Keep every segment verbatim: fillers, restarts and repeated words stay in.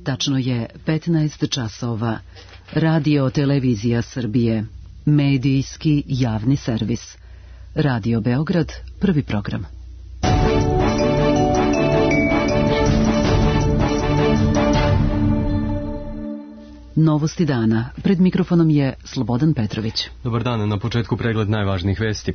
Tačno je petnaest časova. Radio Televizija Srbije. Medijski javni servis. Radio Beograd, prvi program. Novosti dana. Pred mikrofonom je Slobodan Petrović. Dobar dan, na početku pregled najvažnijih vesti.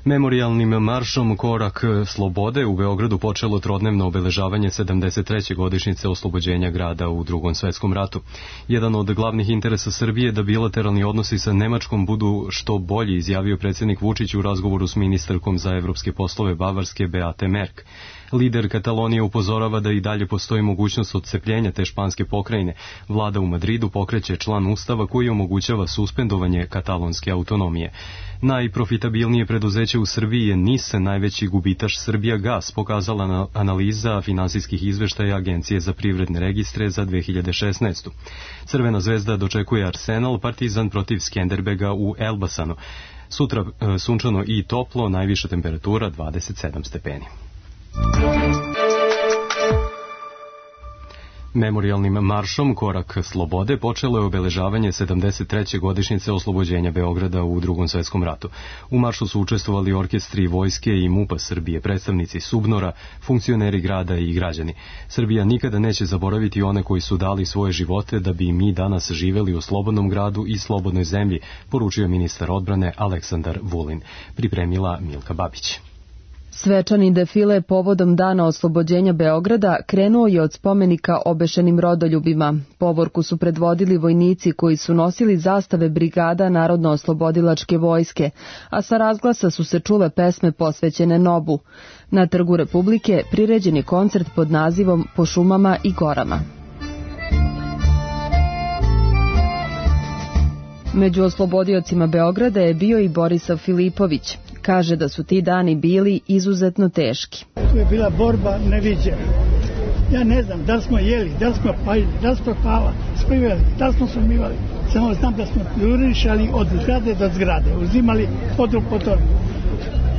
Memorijalnim maršom Korak slobode u Beogradu počelo trodnevno obeležavanje sedamdeset treće godišnjice oslobođenja grada u Drugom svetskom ratu. Jedan od glavnih interesa Srbije je da bilateralni odnosi sa Nemačkom budu što bolji, izjavio predsjednik Vučić u razgovoru s ministarkom za evropske poslove Bavarske Beate Merk. Lider Katalonije upozorava da i dalje postoji mogućnost odcepljenja te španske pokrajine. Vlada u Madridu pokreće član ustava koji omogućava suspendovanje katalonske autonomije. Najprofitabilnije preduzeće u Srbiji je N I S, najveći gubitaš Srbijagas, pokazala analiza finansijskih izveštaja Agencije za privredne registre za dve hiljade šesnaestu. Crvena zvezda dočekuje Arsenal, Partizan protiv Skenderbega u Elbasanu. Sutra sunčano i toplo, najviša temperatura dvadeset sedam stepeni. Memorijalnim maršom Korak slobode počelo je obeležavanje sedamdeset treće godišnjice oslobođenja Beograda u Drugom svetskom ratu. U maršu su učestvovali orkestri vojske i MUP-a Srbije, predstavnici SUBNOR-a, funkcioneri grada i građani. Srbija nikada neće zaboraviti one koji su dali svoje živote da bi mi danas živeli u slobodnom gradu i slobodnoj zemlji, poručio ministar odbrane Aleksandar Vulin. Pripremila Milka Babić. Svečani defile povodom Dana oslobođenja Beograda krenuo je od spomenika obešenim rodoljubima. Povorku su predvodili vojnici koji su nosili zastave brigada Narodno-oslobodilačke vojske, a sa razglasa su se čule pesme posvećene Nobu. Na Trgu Republike priređen je koncert pod nazivom Po šumama i gorama. Među oslobodiocima Beograda je bio i Borisav Filipović. Kaže da su ti dani bili izuzetno teški. To je bila borba neviđena. Ja ne znam da li smo jeli, da li smo pali, da li smo spavali, spivali, da li smo sumnjivali. Samo znam da smo jurišali od zgrade do zgrade, uzimali podru po toru.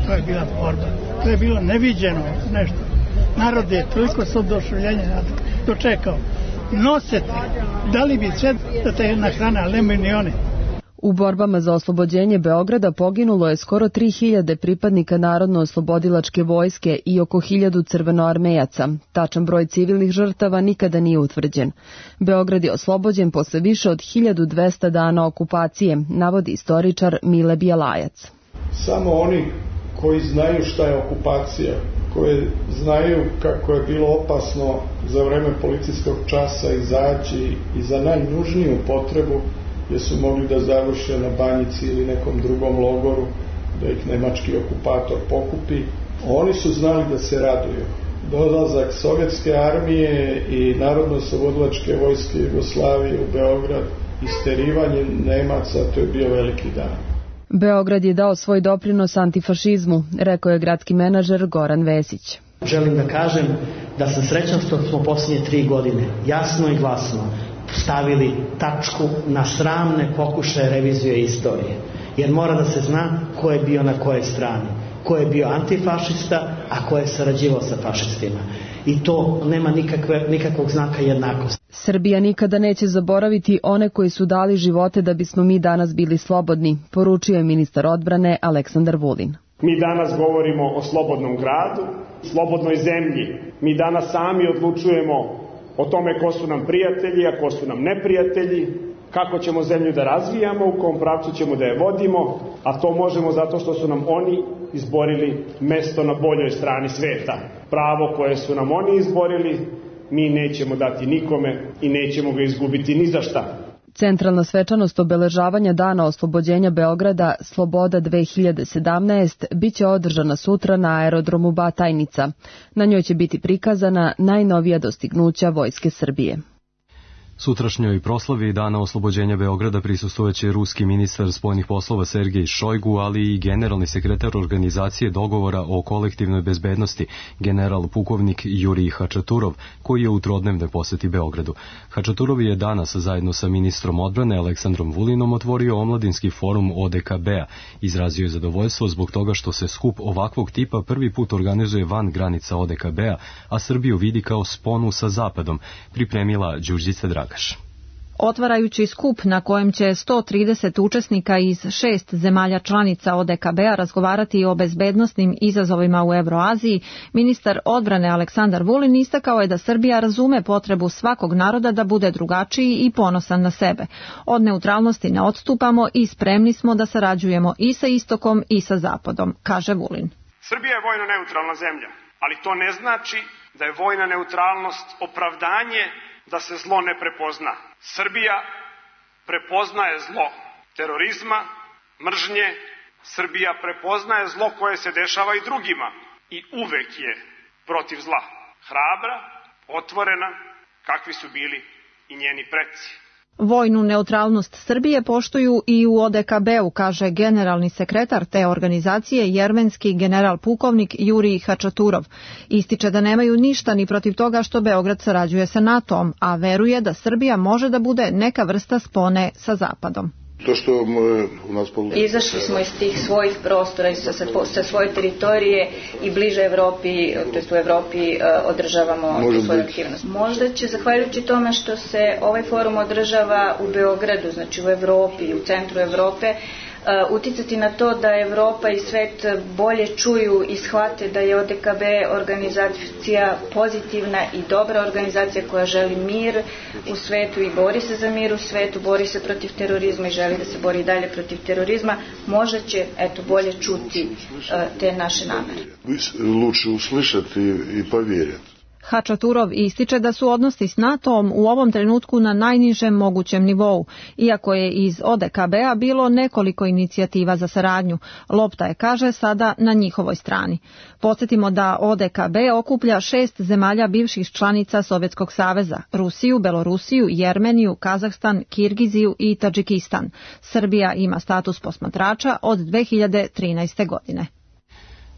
To je bila borba. To je bilo neviđeno nešto. Narod je toliko s oduševljenja dočekao. Nosete, da li bi sve da te nahrane, ali nemaju ni one. U borbama za oslobođenje Beograda poginulo je skoro tri hiljade pripadnika Narodno-oslobodilačke vojske i oko hiljadu crvenoarmejaca. Tačan broj civilnih žrtava nikada nije utvrđen. Beograd je oslobođen posle više od hiljadu dvesta dana okupacije, navodi istoričar Mile Bjelajac. Samo oni koji znaju šta je okupacija, koji znaju kako je bilo opasno za vreme policijskog časa izaći i za najnužniju potrebu, gdje su mogli da završe na Banjici ili nekom drugom logoru, da ih nemački okupator pokupi. Oni su znali da se raduju. Dolazak sovjetske armije i Narodno-oslobodilačke vojske Jugoslavije u Beograd, isterivanje Nemaca, to je bio veliki dan. Beograd je dao svoj doprinos antifašizmu, rekao je gradski menadžer Goran Vesić. Želim da kažem da sam srećan što smo posljednje tri godine jasno i glasno stavili tačku na sramne pokušaje revizije istorije. Jer mora da se zna ko je bio na kojoj strani, ko je bio antifašista, a ko je sarađivao sa fašistima. I to nema nikakve, nikakvog znaka jednakosti. Srbija nikada neće zaboraviti one koji su dali živote da bismo mi danas bili slobodni, poručio je ministar odbrane Aleksandar Vulin. Mi danas govorimo o slobodnom gradu, slobodnoj zemlji. Mi danas sami odlučujemo o tome ko su nam prijatelji, a ko su nam neprijatelji, kako ćemo zemlju da razvijamo, u kom pravcu ćemo da je vodimo, a to možemo zato što su nam oni izborili mesto na boljoj strani sveta. Pravo koje su nam oni izborili, mi nećemo dati nikome i nećemo ga izgubiti ni za šta. Centralna svečanost obeležavanja Dana oslobođenja Beograda Sloboda dve hiljade sedamnaest biće održana sutra na aerodromu Batajnica. Na njoj će biti prikazana najnovija dostignuća Vojske Srbije. Sutrašnjoj proslavi Dana oslobođenja Beograda prisustvovaće ruski ministar spoljnih poslova Sergej Šojgu, ali i generalni sekretar organizacije dogovora o kolektivnoj bezbednosti, general pukovnik Jurij Hačaturov, koji je u trodnevnoj poseti Beogradu. Hačaturov je danas zajedno sa ministrom odbrane Aleksandrom Vulinom otvorio omladinski forum O D K B-a. Izrazio je zadovoljstvo zbog toga što se skup ovakvog tipa prvi put organizuje van granica O D K B-a, a Srbiju vidi kao sponu sa Zapadom, pripremila Đurđica Dragaš. Otvarajući skup na kojem će sto trideset učesnika iz šest zemalja članica O D K B-a razgovarati o bezbednosnim izazovima u Evroaziji, ministar odbrane Aleksandar Vulin istakao je da Srbija razume potrebu svakog naroda da bude drugačiji i ponosan na sebe. Od neutralnosti ne odstupamo i spremni smo da sarađujemo i sa istokom i sa zapadom, kaže Vulin. Srbija je vojno neutralna zemlja, ali to ne znači da je vojna neutralnost opravdanje da se zlo ne prepozna. Srbija prepoznaje zlo terorizma, mržnje, Srbija prepoznaje zlo koje se dešava i drugima i uvek je protiv zla. Hrabra, otvorena, kakvi su bili i njeni preci. Vojnu neutralnost Srbije poštuju i u O D K B-u, kaže generalni sekretar te organizacije jermenski general pukovnik Jurij Hačaturov. Ističe da nemaju ništa ni protiv toga što Beograd sarađuje sa NATO-om, a veruje da Srbija može da bude neka vrsta spone sa Zapadom. To što u nas polu... Izašli smo iz tih svojih prostora i sa, sa svoje teritorije i bliže Evropi, to jest u Evropi održavamo svoju aktivnost. Možda će, zahvaljujući tome što se ovaj forum održava u Beogradu, znači u Evropi, u centru Evrope, uticati na to da Evropa i svet bolje čuju i shvate da je O D K B organizacija pozitivna i dobra organizacija koja želi mir u svetu i bori se za mir u svetu, bori se protiv terorizma i želi da se bori dalje protiv terorizma, možda će eto bolje čuti te naše namere. Luče uslišati i povjeriti. Hačaturov ističe da su odnosi s NATO-om u ovom trenutku na najnižem mogućem nivou, iako je iz O D K B-a bilo nekoliko inicijativa za saradnju. Lopta je, kaže, sada na njihovoj strani. Podsjetimo da O D K B okuplja šest zemalja bivših članica Sovjetskog saveza, Rusiju, Belorusiju, Jermeniju, Kazahstan, Kirgiziju i Tadžikistan. Srbija ima status posmatrača od dve hiljade trinaeste. godine.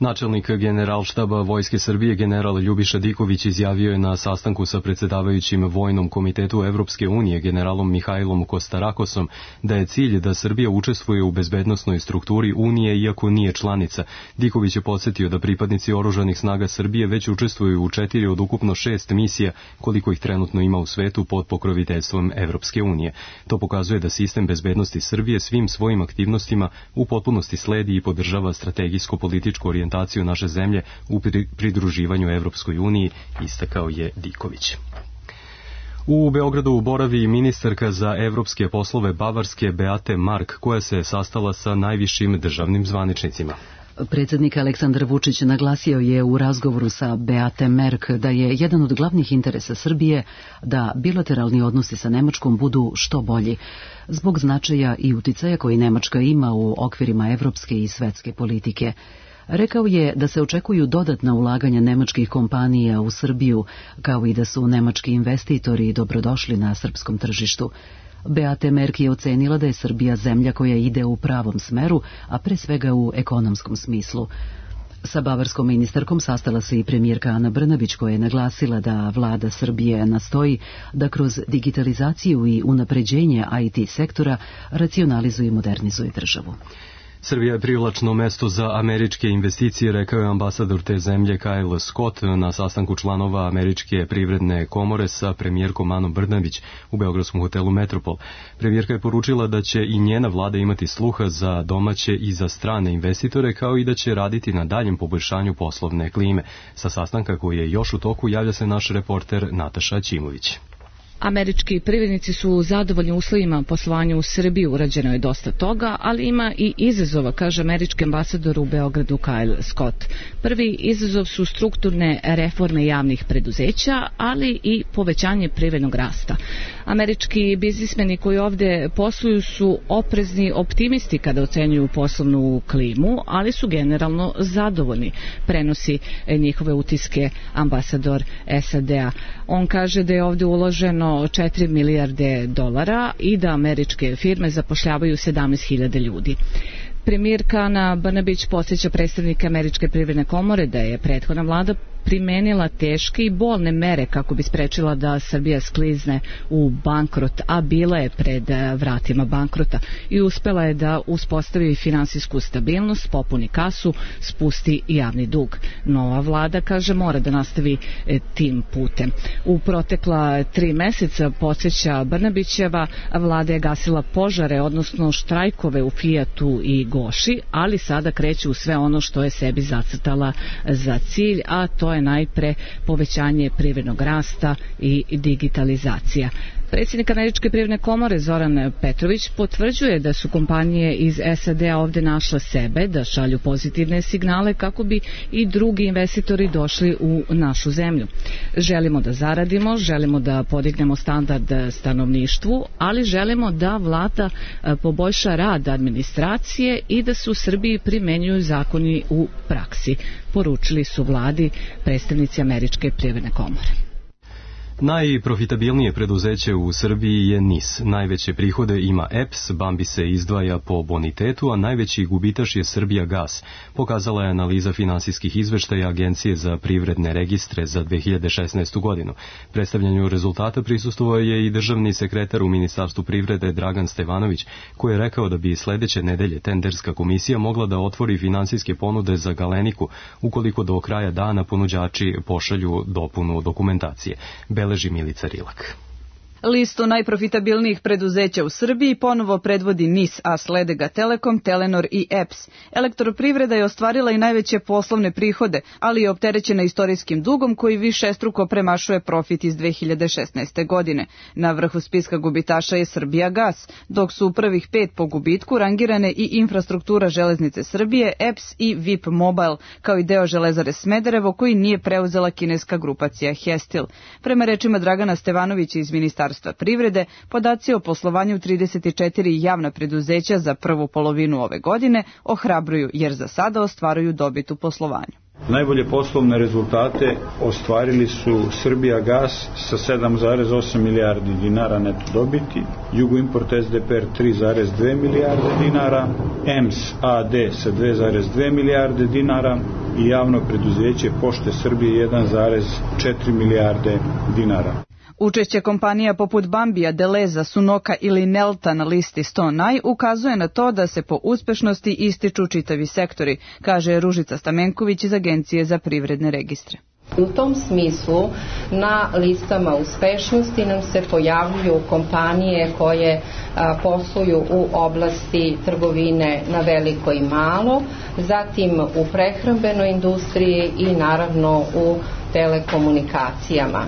Načelnik Generalštaba Vojske Srbije general Ljubiša Diković izjavio je na sastanku sa predsjedavajućim Vojnom komitetu Evropske unije generalom Mihajlom Kostarakosom da je cilj da Srbija učestvuje u bezbednosnoj strukturi Unije iako nije članica. Diković je podsjetio da pripadnici oružanih snaga Srbije već učestvuju u četiri od ukupno šest misija koliko ih trenutno ima u svetu pod pokroviteljstvom Evropske unije. To pokazuje da sistem bezbednosti Srbije svim svojim aktivnostima u potpunosti sledi i podržava strategijsko-političku orijentaciju naše zemlje u pridruživanju Evropskoj uniji, istakao je Diković. U Beogradu boravi ministarka za evropske poslove Bavarske Beate Mark, koja se sastala sa najvišim državnim zvaničnicima. Predsjednik Aleksandar Vučić naglasio je u razgovoru sa Beate Merk da je jedan od glavnih interesa Srbije da bilateralni odnosi sa Nemačkom budu što bolji, zbog značaja i uticaja koji Nemačka ima u okvirima evropske i svetske politike. Rekao je da se očekuju dodatna ulaganja nemačkih kompanija u Srbiju, kao i da su nemački investitori dobrodošli na srpskom tržištu. Beate Merk je ocenila da je Srbija zemlja koja ide u pravom smeru, a pre svega u ekonomskom smislu. Sa bavarskom ministarkom sastala se i premijerka Ana Brnabić, koja je naglasila da vlada Srbije nastoji da kroz digitalizaciju i unapređenje I T sektora racionalizuje i modernizuje državu. Srbija je privlačno mesto za američke investicije, rekao je ambasador te zemlje Kyle Scott na sastanku članova Američke privredne komore sa premijerkom Anom Brnabić u beogradskom hotelu Metropol. Premijerka je poručila da će i njena vlada imati sluha za domaće i za strane investitore, kao i da će raditi na daljem poboljšanju poslovne klime. Sa sastanka koji je još u toku javlja se naš reporter Nataša Ćimović. Američki privrednici su zadovoljni uslovima poslovanja u Srbiji, urađeno je dosta toga, ali ima i izazova, kaže američki ambasador u Beogradu Kyle Scott. Prvi izazov su strukturne reforme javnih preduzeća, ali i povećanje privrednog rasta. Američki biznismeni koji ovdje posluju su oprezni optimisti kada ocenjuju poslovnu klimu, ali su generalno zadovoljni, prenosi njihove utiske ambasador S A D-a. On kaže da je ovdje uloženo uloženo četiri milijarde dolara i da američke firme zapošljavaju sedamnaest hiljada ljudi. Premijerka Ana Brnabić podsjeća predstavnike Američke privredne komore da je prethodna vlada primenila teške i bolne mere kako bi sprečila da Srbija sklizne u bankrot, a bila je pred vratima bankrota i uspela je da uspostavi finansijsku stabilnost, popuni kasu, spusti javni dug. Nova vlada, kaže, mora da nastavi tim putem. U protekla tri meseca, podsjeća Brnabićeva, vlada je gasila požare, odnosno štrajkove u Fijatu i Goši, ali sada kreće u sve ono što je sebi zacrtala za cilj, a to je najpre povećanje privrednog rasta i digitalizacija. Predsjednik Američke privredne komore Zoran Petrović potvrđuje da su kompanije iz S A D-a ovdje našle sebe, da šalju pozitivne signale kako bi i drugi investitori došli u našu zemlju. Želimo da zaradimo, želimo da podignemo standard stanovništvu, ali želimo da vlada poboljša rad administracije i da se u Srbiji primenjuju zakoni u praksi, poručili su vladi predstavnici Američke privredne komore. Najprofitabilnije preduzeće u Srbiji je N I S. Najveće prihode ima E P S, Bambi se izdvaja po bonitetu, a najveći gubitaš je Srbijagas, pokazala je analiza finansijskih izveštaja Agencije za privredne registre za dve hiljade šesnaestu. godinu. Predstavljanju rezultata prisustvovao je i državni sekretar u Ministarstvu privrede Dragan Stevanović, koji je rekao da bi sledeće nedelje tenderska komisija mogla da otvori finansijske ponude za Galeniku, ukoliko do kraja dana ponuđači pošalju dopunu dokumentacije. Beleži Milica Rilak. Listu najprofitabilnijih preduzeća u Srbiji ponovo predvodi N I S, a slede ga Telekom, Telenor i E P S. Elektroprivreda je ostvarila i najveće poslovne prihode, ali je opterećena istorijskim dugom koji višestruko premašuje profit iz dve hiljade šesnaeste. godine. Na vrhu spiska gubitaša je Srbijagas, dok su u prvih pet po gubitku rangirane i infrastruktura Železnice Srbije, E P S i V I P Mobile, kao i deo Železare Smederevo koji nije preuzela kineska grupacija Hestil. Prema rečima Dragana Stevanovića iz Ministarstva privrede, podaci o poslovanju trideset četiri javna preduzeća za prvu polovinu ove godine ohrabruju jer za sada ostvaruju dobit u poslovanju. Najbolje poslovne rezultate ostvarili su Srbijagas sa sedam zarez osam milijardi dinara neto dobiti, Jugoimport S D P R tri zarez dve milijarde dinara, E M S A D sa dve zarez dve milijarde dinara i javno preduzeće Pošte Srbije jedan zarez četiri milijarde dinara. Učešće kompanija poput Bambija, Deleza, Sunoka ili Nelta na listi sto naj ukazuje na to da se po uspešnosti ističu čitavi sektori, kaže Ružica Stamenković iz Agencije za privredne registre. U tom smislu na listama uspešnosti nam se pojavljuju kompanije koje a, posluju u oblasti trgovine na veliko i malo, zatim u prehrambenoj industriji i naravno u telekomunikacijama.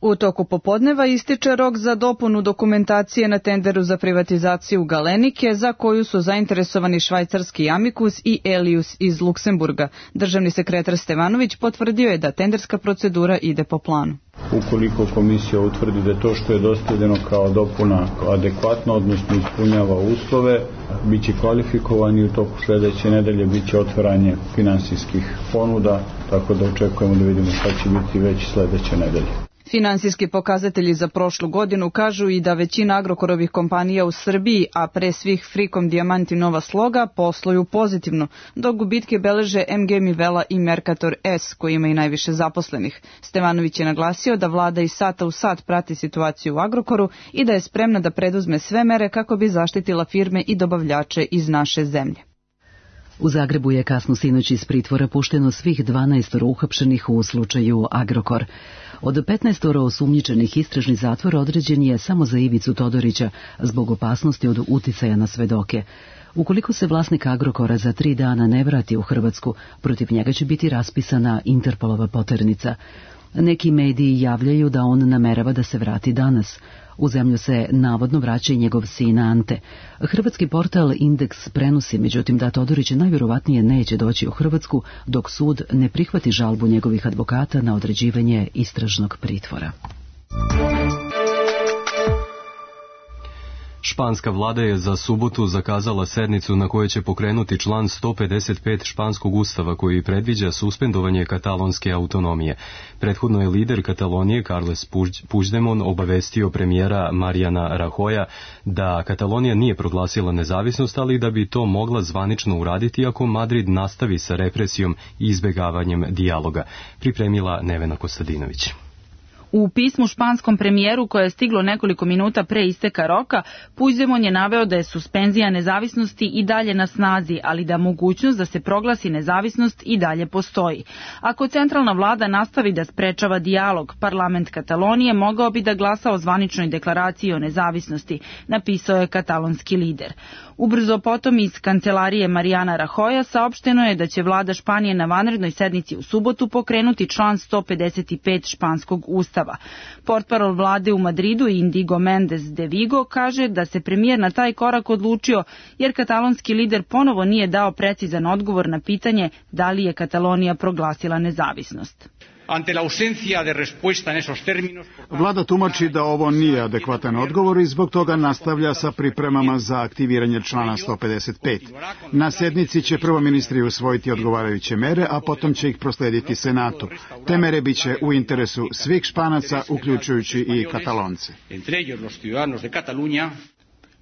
U toku popodneva ističe rok za dopunu dokumentacije na tenderu za privatizaciju Galenike, za koju su zainteresovani švajcarski Amicus i Elius iz Luksemburga. Državni sekretar Stevanović potvrdio je da tenderska procedura ide po planu. Ukoliko komisija utvrdi da to što je dostavljeno kao dopuna adekvatno, odnosno ispunjava uslove, bit će kvalifikovani i u toku sledeće nedelje bit će otvaranje finansijskih ponuda, tako da očekujemo da vidimo šta će biti već sledeće nedelje. Finansijski pokazatelji za prošlu godinu kažu i da većina Agrokorovih kompanija u Srbiji, a pre svih Frikom, Dijamant i Nova Sloga, posluju pozitivno, dok gubitke beleže M G Mivela i Mercator S, koji ima i najviše zaposlenih. Stevanović je naglasio da vlada iz sata u sat prati situaciju u Agrokoru i da je spremna da preduzme sve mere kako bi zaštitila firme i dobavljače iz naše zemlje. U Zagrebu je kasno sinoć iz pritvora pušteno svih dvanaest uhapšenih u slučaju Agrokor. Od petnaest osumnjičenih istražni zatvor određen je samo za Ivicu Todorića zbog opasnosti od uticaja na svedoke. Ukoliko se vlasnik Agrokora za tri dana ne vrati u Hrvatsku, protiv njega će biti raspisana Interpolova poternica. Neki mediji javljaju da on namerava da se vrati danas. U zemlju se navodno vraća i njegov sin Ante. Hrvatski portal Indeks prenosi, međutim, da Todorić najvjerovatnije neće doći u Hrvatsku dok sud ne prihvati žalbu njegovih advokata na određivanje istražnog pritvora. Španska vlada je za subotu zakazala sednicu na kojoj će pokrenuti član sto pedeset pet španskog ustava koji predviđa suspendovanje katalonske autonomije. Prethodno je lider Katalonije Carles Puigdemont obavestio premijera Mariana Rajoya da Katalonija nije proglasila nezavisnost, ali da bi to mogla zvanično uraditi ako Madrid nastavi sa represijom i izbegavanjem dijaloga, pripremila Nevena Kostadinović. U pismu španskom premijeru koje je stiglo nekoliko minuta pre isteka roka, Puigdemont je naveo da je suspenzija nezavisnosti i dalje na snazi, ali da mogućnost da se proglasi nezavisnost i dalje postoji. Ako centralna vlada nastavi da sprečava dijalog, parlament Katalonije mogao bi da glasa o zvaničnoj deklaraciji o nezavisnosti, napisao je katalonski lider. Ubrzo potom iz kancelarije Mariana Rajoya saopšteno je da će vlada Španije na vanrednoj sednici u subotu pokrenuti član sto pedeset pet španskog ustava. Portparol vlade u Madridu Indigo Mendez de Vigo kaže da se premijer na taj korak odlučio jer katalonski lider ponovo nije dao precizan odgovor na pitanje da li je Katalonija proglasila nezavisnost. Vlada tumači da ovo nije adekvatan odgovor i zbog toga nastavlja sa pripremama za aktiviranje člana sto pedeset pet. Na sednici će prvo ministri usvojiti odgovarajuće mere, a potom će ih proslediti Senatu. Te mere biće u interesu svih Španaca, uključujući i Katalonce.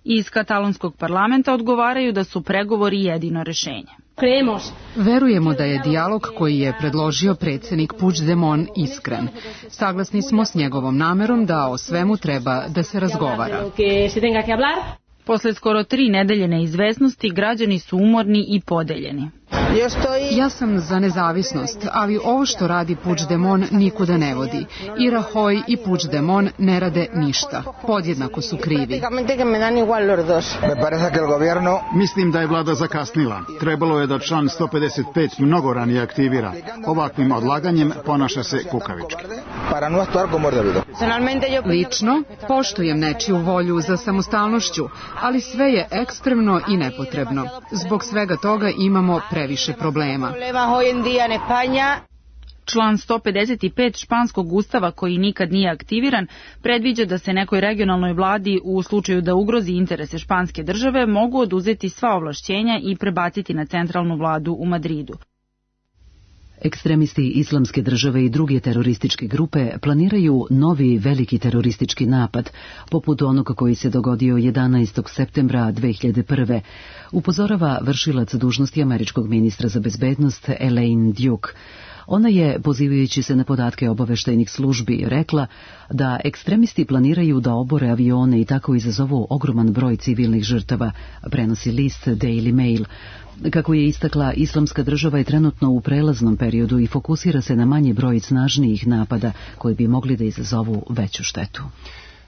Iz katalonskog parlamenta odgovaraju da su pregovori jedino rešenje. Verujemo da je dijalog koji je predložio predsjednik Puigdemont iskren. Saglasni smo s njegovom namerom da o svemu treba da se razgovara. Posle skoro tri nedelje neizvesnosti, građani su umorni i podeljeni. Ja sam za nezavisnost, ali ovo što radi Puigdemont nikuda ne vodi. I Rajoy i Puigdemont ne rade ništa. Podjednako su krivi. Mislim da je vlada zakasnila. Trebalo je da član sto pedeset pet mnogo ranije aktivira. Ovakvim odlaganjem ponaša se kukavički. Lično, poštujem nečiju volju za samostalnošću, ali sve je ekstremno i nepotrebno. Zbog svega toga imamo previše problema. Član sto pedeset pet španskog ustava koji nikad nije aktiviran predviđa da se nekoj regionalnoj vladi u slučaju da ugrozi interese španske države mogu oduzeti sva ovlašćenja i prebaciti na centralnu vladu u Madridu. Ekstremisti Islamske države i druge terorističke grupe planiraju novi veliki teroristički napad, poput onoga koji se dogodio jedanaestog septembra dve hiljade prve. Upozorava vršilac dužnosti američkog ministra za bezbednost Elaine Duke. Ona je, pozivajući se na podatke obaveštajnih službi, rekla da ekstremisti planiraju da obore avione i tako izazovu ogroman broj civilnih žrtava, prenosi list Daily Mail. Kako je istakla, Islamska država je trenutno u prelaznom periodu i fokusira se na manji broj snažnijih napada koji bi mogli da izazovu veću štetu.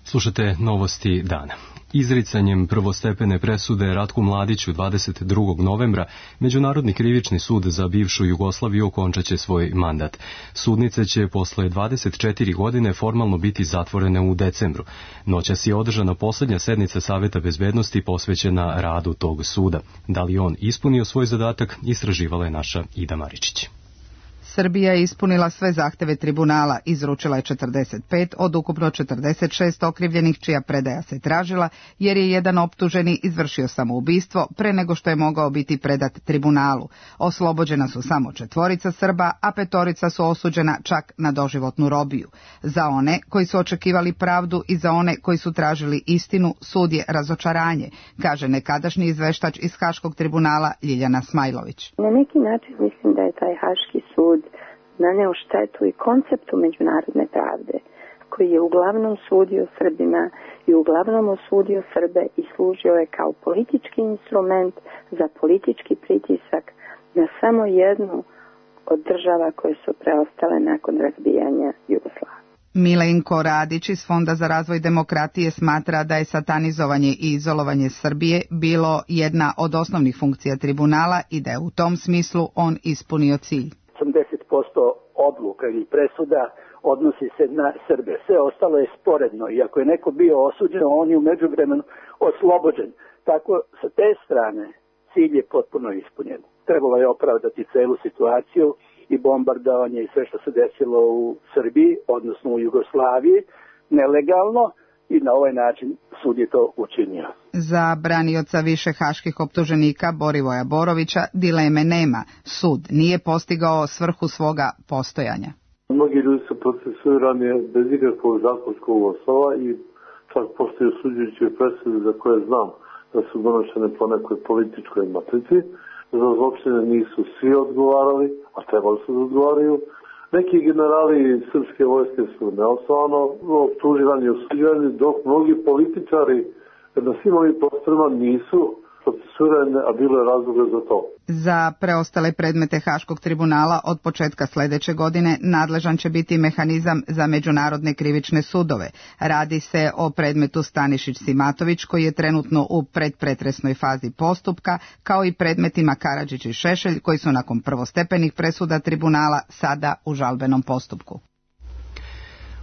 Slušate novosti dana. Izricanjem prvostepene presude Ratku Mladiću dvadeset drugog novembra Međunarodni krivični sud za bivšu Jugoslaviju okončaće svoj mandat. Sudnice će posle dvadeset četiri godine formalno biti zatvorene u decembru. Noćas je održana poslednja sednica Saveta bezbednosti posvećena radu tog suda. Da li on ispunio svoj zadatak, istraživala je naša Ida Maričić. Srbija je ispunila sve zahteve tribunala, izručila je četrdeset pet od ukupno četrdeset šest okrivljenih čija predaja se tražila, jer je jedan optuženi izvršio samoubistvo pre nego što je mogao biti predat tribunalu. Oslobođena su samo četvorica Srba, a petorica su osuđena čak na doživotnu robiju. Za one koji su očekivali pravdu i za one koji su tražili istinu, sud je razočaranje, kaže nekadašnji izveštač iz Haškog tribunala Ljiljana Smajlović. Na neki način mislim da je taj Haški sud naneo štetu i konceptu međunarodne pravde, koji je uglavnom sudio Srbima i uglavnom osudio Srbe i služio je kao politički instrument za politički pritisak na samo jednu od država koje su preostale nakon razbijanja Jugoslavije. Milenko Radić iz Fonda za razvoj demokratije smatra da je satanizovanje i izolovanje Srbije bilo jedna od osnovnih funkcija tribunala i da je u tom smislu on ispunio cilj. osamdeset posto odluka ili presuda odnosi se na Srbe. Sve ostalo je sporedno i ako je neko bio osuđen, on je u međuvremenu oslobođen. Tako sa te strane cilj je potpuno ispunjen. Trebalo je opravdati celu situaciju i bombardovanje i sve što se desilo u Srbiji, odnosno u Jugoslaviji, nelegalno, i na ovaj način sud je to učinio. Za branioca više haških optuženika Borivoja Borovića dileme nema. Sud nije postigao svrhu svoga postojanja. Mnogi ljudi su procesuirani bez ikakvog zakonskog osnova i čak postoje osuđujuće presude za koje znam da su donošene po nekoj političkoj matrici. Za zločine nisu svi odgovarali, a trebali su da odgovaraju. Neki generali srpske vojske su neosnovano optuživani i osuđivani, dok mnogi političari na svim ovim prostorima nisu procesuirani, a bilo je razloga za to. Za preostale predmete Haškog tribunala od početka sledeće godine nadležan će biti mehanizam za međunarodne krivične sudove. Radi se o predmetu Stanišić-Simatović koji je trenutno u predpretresnoj fazi postupka, kao i predmetima Karadžić i Šešelj koji su nakon prvostepenih presuda tribunala sada u žalbenom postupku.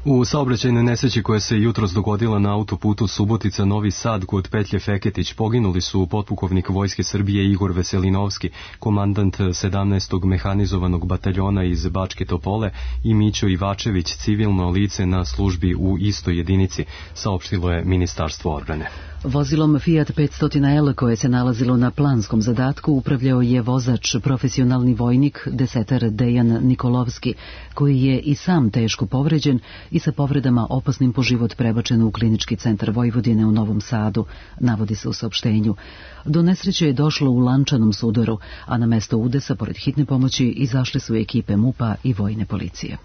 U saobraćajnoj nesreći koja se jutros dogodila na autoputu Subotica-Novi Sad kod petlje Feketić poginuli su potpukovnik Vojske Srbije Igor Veselinovski, komandant sedamnaestog mehanizovanog bataljona iz Bačke Topole i Mićo Ivačević, civilno lice na službi u istoj jedinici, saopštilo je Ministarstvo odbrane. Vozilom Fiat petsto L koje se nalazilo na planskom zadatku upravljao je vozač, profesionalni vojnik, desetar Dejan Nikolovski, koji je i sam teško povređen i sa povredama opasnim po život prebačen u klinički centar Vojvodine u Novom Sadu, navodi se u saopštenju. Do nesreće je došlo u lančanom sudaru, a na mesto udesa, pored hitne pomoći, izašle su ekipe M U P-a i vojne policije.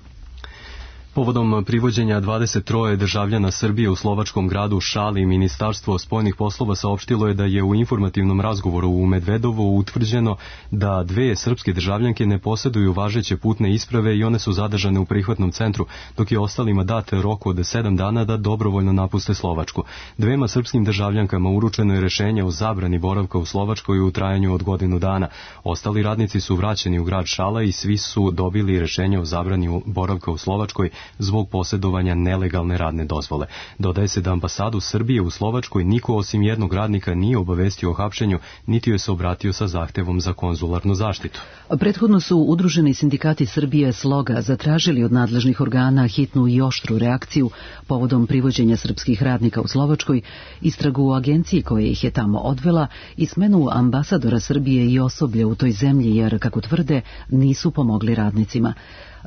Povodom privođenja dvadeset troje državljana Srbije u slovačkom gradu Šali, Ministarstvo spoljnih poslova saopštilo je da je u informativnom razgovoru u Medvedovu utvrđeno da dve srpske državljanke ne posjeduju važeće putne isprave i one su zadržane u prihvatnom centru, dok je ostalima dat rok od sedam dana da dobrovoljno napuste Slovačku. Dvema srpskim državljankama uručeno je rešenje o zabrani boravka u Slovačkoj u trajanju od godinu dana. Ostali radnici su vraćeni u grad Šala i svi su dobili rešenje o zabrani boravka u Slovačkoj zbog posjedovanja nelegalne radne dozvole. Dodaje se da ambasadu Srbije u Slovačkoj niko osim jednog radnika nije obavestio o hapšenju, niti joj se obratio sa zahtevom za konzularnu zaštitu. Prethodno su udruženi sindikati Srbije Sloga zatražili od nadležnih organa hitnu i oštru reakciju povodom privođenja srpskih radnika u Slovačkoj, istragu u agenciji koja ih je tamo odvela i smenu ambasadora Srbije i osoblja u toj zemlji jer, kako tvrde, nisu pomogli radnicima.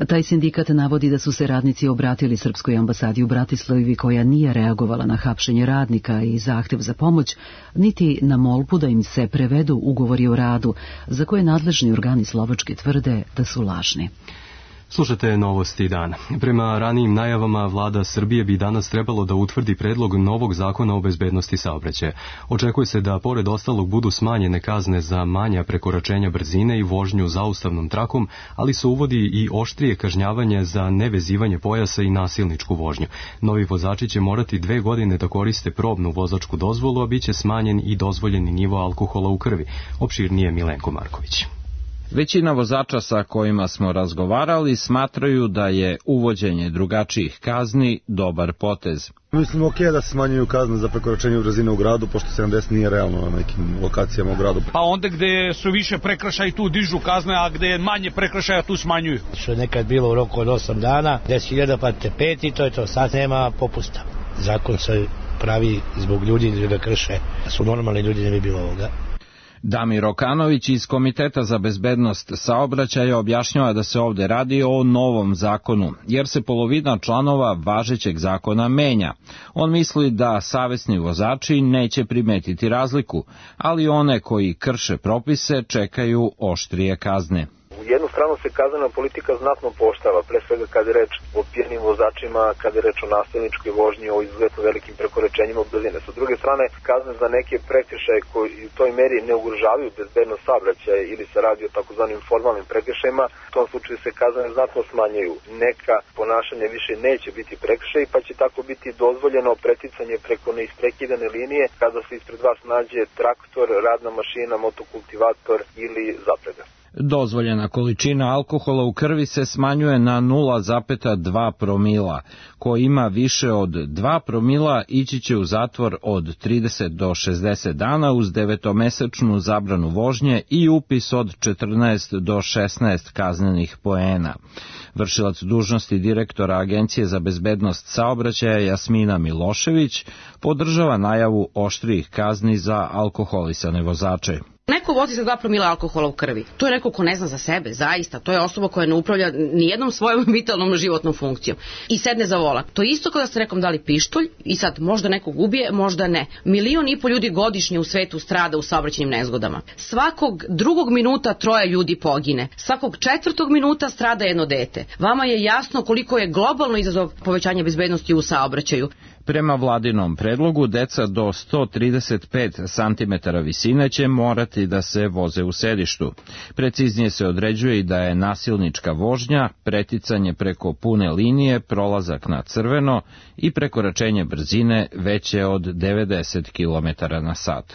Taj sindikat navodi da su se radnici obratili srpskoj ambasadi u Bratislavi koja nije reagovala na hapšenje radnika i zahtev za pomoć, niti na molbu da im se prevedu ugovori o radu, za koje nadležni organi Slovačke tvrde da su lažni. Slušate novosti dana. Prema ranijim najavama vlada Srbije bi danas trebalo da utvrdi predlog novog zakona o bezbednosti saobraćaja. Očekuje se da pored ostalog budu smanjene kazne za manja prekoračenja brzine i vožnju zaustavnom trakom, ali se uvodi i oštrije kažnjavanje za nevezivanje pojasa i nasilničku vožnju. Novi vozači će morati dve godine da koriste probnu vozačku dozvolu, a bit će smanjen i dozvoljeni nivo alkohola u krvi. Opširnije Milenko Marković. Većina vozača sa kojima smo razgovarali smatraju da je uvođenje drugačijih kazni dobar potez. Mislim ok da se smanjuju kazne za prekoračenje brzine u gradu, pošto sedamdeset nije realno na nekim lokacijama u gradu. Pa onda gde su više prekršaja tu dižu kazne, a gde je manje prekršaja tu smanjuju. Što je nekad bilo u roku od osam dana, deset hiljada platite pet i to je to, sad nema popusta. Zakon se pravi zbog ljudi da krše, da su normalni ljudi ne bi bilo ovoga. Damir Okanović iz Komiteta za bezbednost saobraćaja objašnjava da se ovde radi o novom zakonu, jer se polovina članova važećeg zakona menja. On misli da savesni vozači neće primetiti razliku, ali one koji krše propise čekaju oštrije kazne. U jednu stranu se kaznena politika znatno pooštrava, pre svega kada je reč o pijanim vozačima, kada je reč o nasilničkoj vožnji, o izuzetno velikim prekoračenjima brzine. Sa druge strane, kazne za neke prekršaje koji u toj meri ne ugrožavaju bezbednost saobraćaja ili se radi o takozvanim formalnim prekršajima, u tom slučaju se kazne znatno smanjuju. Neka ponašanja više neće biti prekršaj, pa će tako biti dozvoljeno preticanje preko neisprekidane linije kada se ispred vas nađe traktor, radna mašina, motokultivator ili zaprega. Dozvoljena količina alkohola u krvi se smanjuje na nula zarez dva promila. Ko ima više od dva promila ići će u zatvor od trideset do šezdeset dana uz devetomesečnu zabranu vožnje i upis od četrnaest do šesnaest kaznenih poena. Vršilac dužnosti direktora Agencije za bezbednost saobraćaja Jasmina Milošević podržava najavu oštrijih kazni za alkoholisane vozače. Neko vozi sa dva promila alkohola u krvi. To je neko ko ne zna za sebe, zaista. To je osoba koja ne upravlja nijednom svojom vitalnom životnom funkcijom. I sedne za volan. To je isto kao da ste nekom dali pištolj i sad možda nekog ubije, možda ne. Milion i po ljudi godišnje u svetu strada u saobraćajnim nezgodama. Svakog drugog minuta troje ljudi pogine. Svakog četvrtog minuta strada jedno dete. Vama je jasno koliko je globalno izazov povećanja bezbednosti u saobraćaju. Prema vladinom predlogu, deca do sto trideset pet centimetara visine će morati da se voze u sedištu. Preciznije se određuje i da je nasilnička vožnja, preticanje preko pune linije, prolazak na crveno i prekoračenje brzine veće od devedeset kilometara na sat.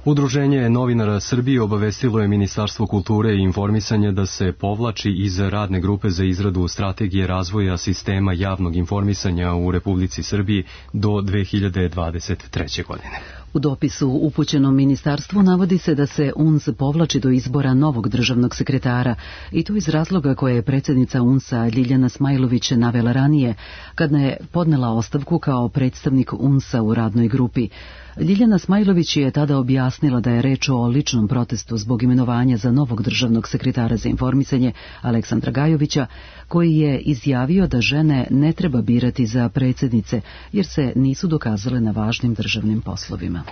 Udruženje novinara Srbije obavestilo je Ministarstvo kulture i informisanja da se povlači iz radne grupe za izradu strategije razvoja sistema javnog informisanja u Republici Srbiji do dve hiljade dvadeset treće. godine. U dopisu upućenom ministarstvu navodi se da se U N S povlači do izbora novog državnog sekretara i to iz razloga koje je predsjednica U N S-a Ljiljana Smajlović navela ranije, kada je podnela ostavku kao predstavnik U N S-a u radnoj grupi. Ljiljana Smajlović je tada objasnila da je reč o ličnom protestu zbog imenovanja za novog državnog sekretara za informisanje Aleksandra Gajovića, koji je izjavio da žene ne treba birati za predsjednice jer se nisu dokazale na važnim državnim poslovima.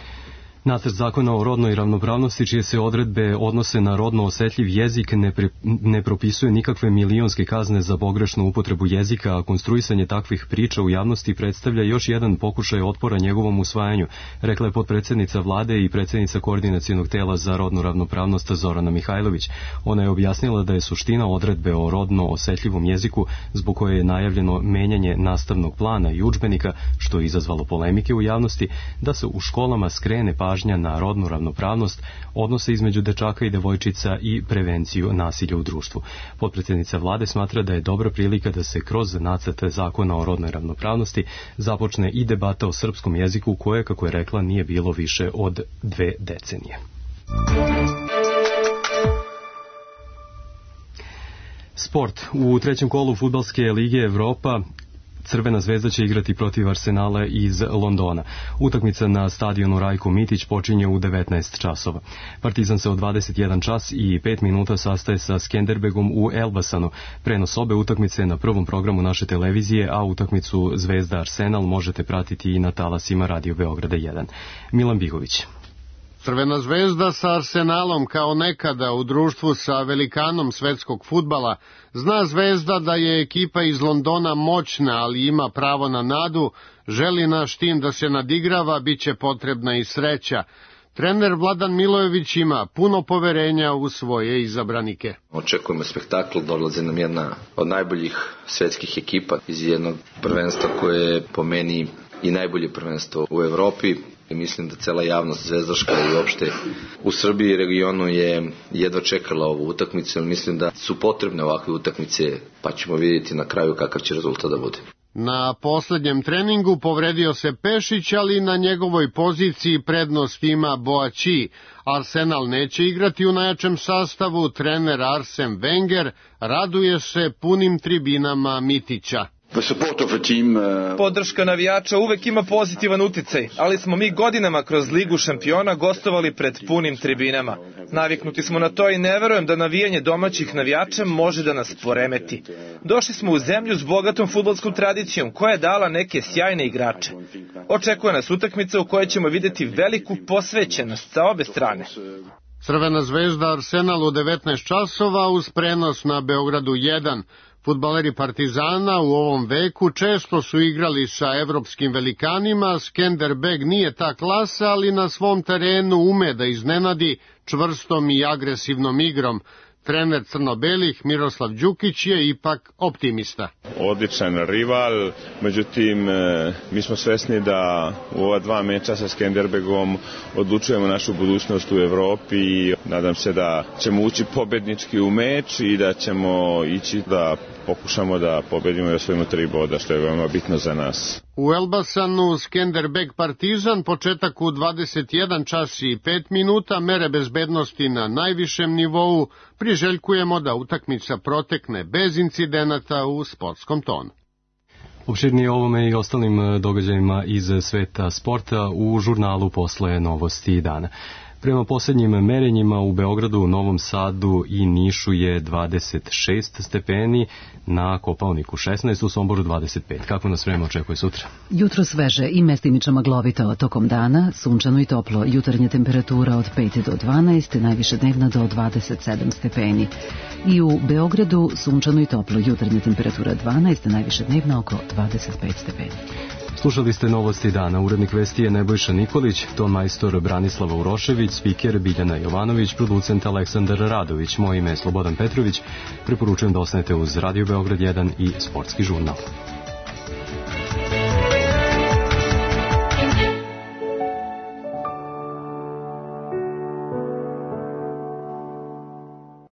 Nacrt zakona o rodnoj ravnopravnosti, čije se odredbe odnose na rodno osetljiv jezik, ne, pre, ne propisuje nikakve milionske kazne za pogrešnu upotrebu jezika, a konstruisanje takvih priča u javnosti predstavlja još jedan pokušaj otpora njegovom usvajanju, rekla je potpredsjednica vlade i predsjednica koordinacionog tela za rodnu ravnopravnost Zorana Mihajlović. Ona je objasnila da je suština odredbe o rodno osetljivom jeziku, zbog koje je najavljeno menjanje nastavnog plana i udžbenika, što je izazvalo polemike u javnosti, da se u školama skrene pažnja na rodnu ravnopravnost, odnose između dečaka i devojčica i prevenciju nasilja u društvu. Potpredsjednica vlade smatra da je dobra prilika da se kroz nacrt zakona o rodnoj ravnopravnosti započne i debata o srpskom jeziku koje, kako je rekla, nije bilo više od dve decenije. Sport. U trećem kolu Fudbalske lige Evropa Crvena zvezda će igrati protiv Arsenala iz Londona. Utakmica na stadionu Rajko Mitić počinje u devetnaest časova. Partizan se od dvadeset jedan čas i pet minuta sastaje sa Skenderbegom u Elbasanu. Prenos obe utakmice na prvom programu naše televizije, a utakmicu Zvezda Arsenal možete pratiti i na talasima Radio Beograda jedan. Milan Bigović. Crvena zvezda sa Arsenalom kao nekada u društvu sa velikanom svetskog fudbala. Zna Zvezda da je ekipa iz Londona moćna, ali ima pravo na nadu, želi naš tim da se nadigrava, bit će potrebna i sreća. Trener Vladan Milojević ima puno poverenja u svoje izabranike. Očekujemo spektakl, dolazi nam jedna od najboljih svetskih ekipa iz jednog prvenstva koje je po meni i najbolje prvenstvo u Evropi. I mislim da cela javnost zvezdaška i uopšte u Srbiji i regionu je jedva čekala ovu utakmicu. Mislim da su potrebne ovakve utakmice, pa ćemo vidjeti na kraju kakav će rezultat da bude. Na poslednjem treningu povredio se Pešić, ali na njegovoj poziciji prednost ima Boaći. Arsenal neće igrati u najjačem sastavu, trener Arsen Wenger raduje se punim tribinama Mitića. Podrška navijača uvek ima pozitivan uticaj, ali smo mi godinama kroz Ligu šampiona gostovali pred punim tribinama. Naviknuti smo na to i ne verujem da navijanje domaćih navijača može da nas poremeti. Došli smo u zemlju s bogatom fudbalskom tradicijom koja je dala neke sjajne igrače. Očekuje nas utakmica u kojoj ćemo videti veliku posvećenost sa obe strane. Crvena zvezda Arsenal u devetnaest časova uz prenos na Beogradu jedan. Fudbaleri Partizana u ovom veku često su igrali sa evropskim velikanima, Skenderbeg nije ta klasa, ali na svom terenu ume da iznenadi čvrstom i agresivnom igrom. Trener crno-belih Miroslav Đukić je ipak optimista. Odličan rival, međutim mi smo svesni da u ova dva meča sa Skenderbegom odlučujemo našu budućnost u Evropi i nadam se da ćemo ući pobednički u meč i da ćemo ići da pokušamo da pobedimo i osvojimo tri boda, što je veoma bitno za nas. U Elbasanu Skenderbeg Partizan, početak u dvadeset jedan čas i pet minuta, mere bezbednosti na najvišem nivou, priželjkujemo da utakmica protekne bez incidenata u sportskom tonu. Opširnije ovome i ostalim događajima iz sveta sporta u žurnalu posle novosti dana. Prema posljednjim merenjima u Beogradu, Novom Sadu i Nišu je dvadeset šest stepeni, na Kopaoniku šesnaest, u Somboru dvadeset pet. Kako nas vreme očekuje sutra? Jutro sveže i mestimično maglovito, tokom dana sunčano i toplo, jutarnja temperatura od pet do dvanaest, najviše dnevna do dvadeset sedam stepeni. I u Beogradu sunčano i toplo, jutarnja temperatura dvanaest, najviše dnevna oko dvadeset pet stepeni. Slušali ste novosti dana. Urednik vesti je Nebojša Nikolić, ton majstor Branislava Urošević, spiker Biljana Jovanović, producent Aleksandar Radović. Moje ime je Slobodan Petrović. Preporučujem da ostanete uz Radio Beograd jedan i Sportski žurnal.